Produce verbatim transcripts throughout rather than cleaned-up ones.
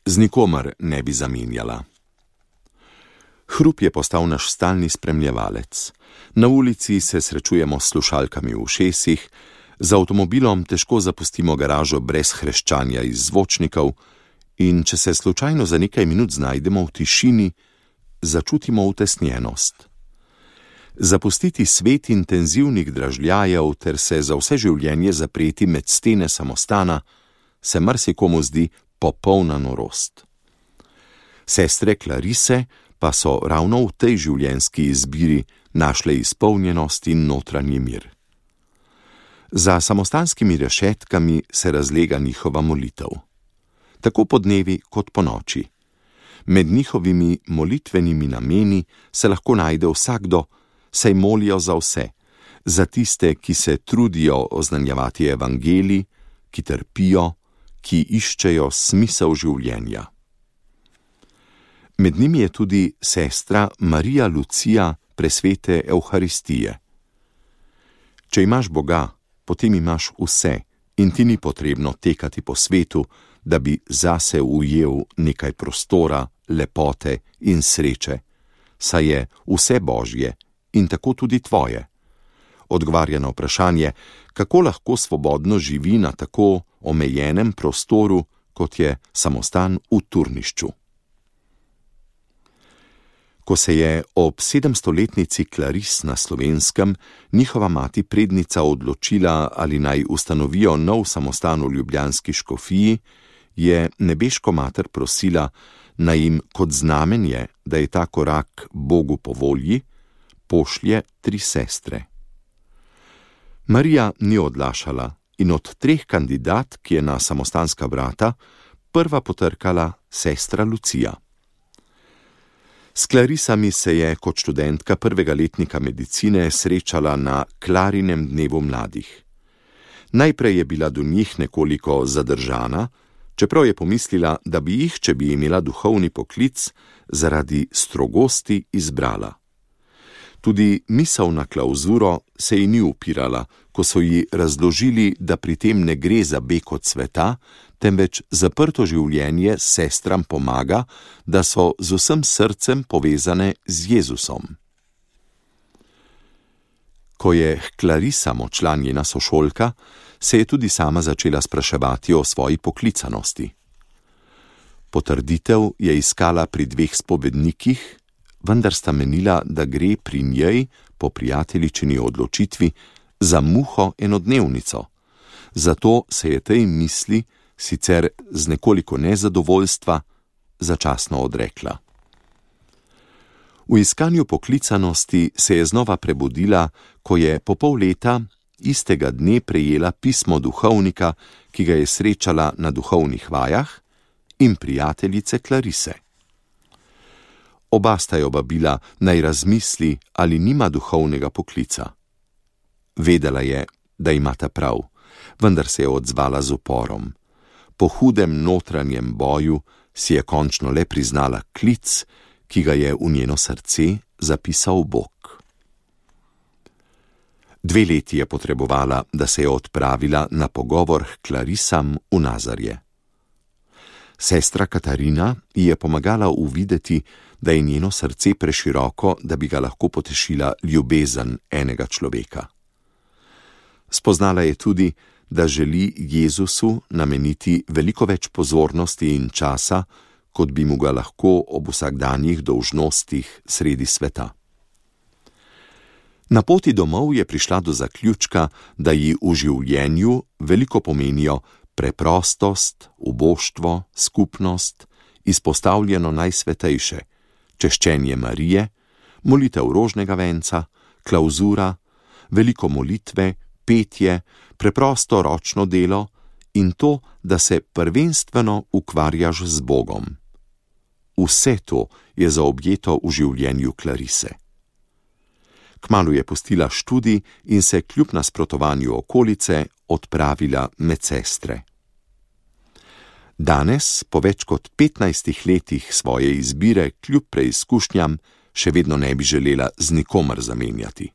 z nikomer ne bi zamenjala. Hrup je postal naš stalni spremljevalec. Na ulici se srečujemo s slušalkami v ušesih, z avtomobilom težko zapustimo garažo brez hreščanja iz zvočnikov in če se slučajno za nekaj minut znajdemo v tišini, začutimo utesnjenost. Zapustiti svet intenzivnih dražljajev ter se za vse življenje zapreti med stene samostana se marsikomu zdi popolna norost. Sestre Clarise pa so ravno v tej življenjski izbiri našle izpolnjenost in notranji mir. Za samostanskimi rešetkami se razlega njihova molitev. Tako po dnevi kot po noči. Med njihovimi molitvenimi nameni se lahko najde vsakdo, saj molijo za vse, za tiste, ki se trudijo oznanjevati evangelij, ki trpijo, ki iščejo smisel življenja. Med njimi je tudi sestra Marija Lucija presvete Evharistije. Če imaš Boga, potem imaš vse in ti ni potrebno tekati po svetu, da bi zase ujel nekaj prostora, lepote in sreče, saj je vse Božje in tako tudi tvoje. Odgovarja na vprašanje, kako lahko svobodno živi na tako omejenem prostoru, kot je samostan v Turnišču. Ko se je ob sedemstoletnici Claris na Slovenskem njihova mati prednica odločila, ali naj ustanovijo nov samostan v ljubljanski škofiji, je nebeško mater prosila, naj jim kot znamenje, da je ta korak Bogu po volji, pošlje tri sestre. Marija ni odlašala in od treh kandidatk je na samostanska vrata prva potrkala sestra Lucija. S Clarisami se je kot študentka prvega letnika medicine srečala na Klarinem dnevu mladih. Najprej je bila do njih nekoliko zadržana, čeprav je pomislila, da bi jih, če bi imela duhovni poklic, zaradi strogosti izbrala. Tudi misel na klauzuro se ji ni upirala, ko so ji razložili, da pri tem ne gre za beg od sveta, temveč zaprto življenje sestram pomaga, da so z vsem srcem povezane z Jezusom. Ko je Clarisam odšla njena sošolka, se je tudi sama začela spraševati o svoji poklicanosti. Potrditev je iskala pri dveh spovednikih, vendar sta menila, da gre pri njej, po prijateljičini odločitvi, za muho enodnevnico. Zato se je tej misli, sicer z nekoliko nezadovoljstva, začasno odrekla. V iskanju poklicanosti se je znova prebudila, ko je po pol leta istega dne prejela pismo duhovnika, ki ga je srečala na duhovnih vajah, in prijateljice Clarise. Oba sta jo vabila, naj razmisli, ali nima duhovnega poklica. Vedela je, da imata prav, vendar se je odzvala z uporom. Po hudem notranjem boju si je končno le priznala klic, ki ga je v njeno srce zapisal Bog. Dve leti je potrebovala, da se je odpravila na pogovor k Clarisam v Nazarje. Sestra Katarina ji je pomagala uvideti, da je njeno srce preširoko, da bi ga lahko potešila ljubezen enega človeka. Spoznala je tudi, da želi Jezusu nameniti veliko več pozornosti in časa, kot bi mu ga lahko ob vsakdanjih dolžnostih sredi sveta. Na poti domov je prišla do zaključka, da ji v življenju veliko pomenijo preprostost, uboštvo, skupnost, izpostavljeno najsvetejše, češčenje Marije, molitev rožnega venca, klauzura, veliko molitve, petje, preprosto ročno delo in to, da se prvenstveno ukvarjaš z Bogom. Vse to je zaobjeto v življenju Clarise. Kmalu je pustila študij in se kljub nasprotovanju okolice odpravila med sestre. Danes, po več kot petnajstih letih svoje izbire kljub preizkušnjam, še vedno ne bi želela z nikomer zamenjati.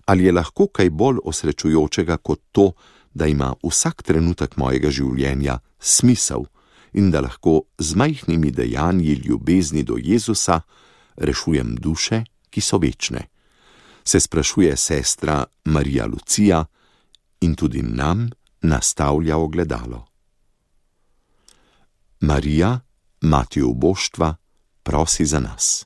Ali je lahko kaj bolj osrečujočega kot to, da ima vsak trenutek mojega življenja smisel in da lahko z majhnimi dejanji ljubezni do Jezusa rešujem duše, ki so večne, se sprašuje sestra Marija Lucija in tudi nam nastavlja ogledalo. Marija, mati uboštva, prosi za nas.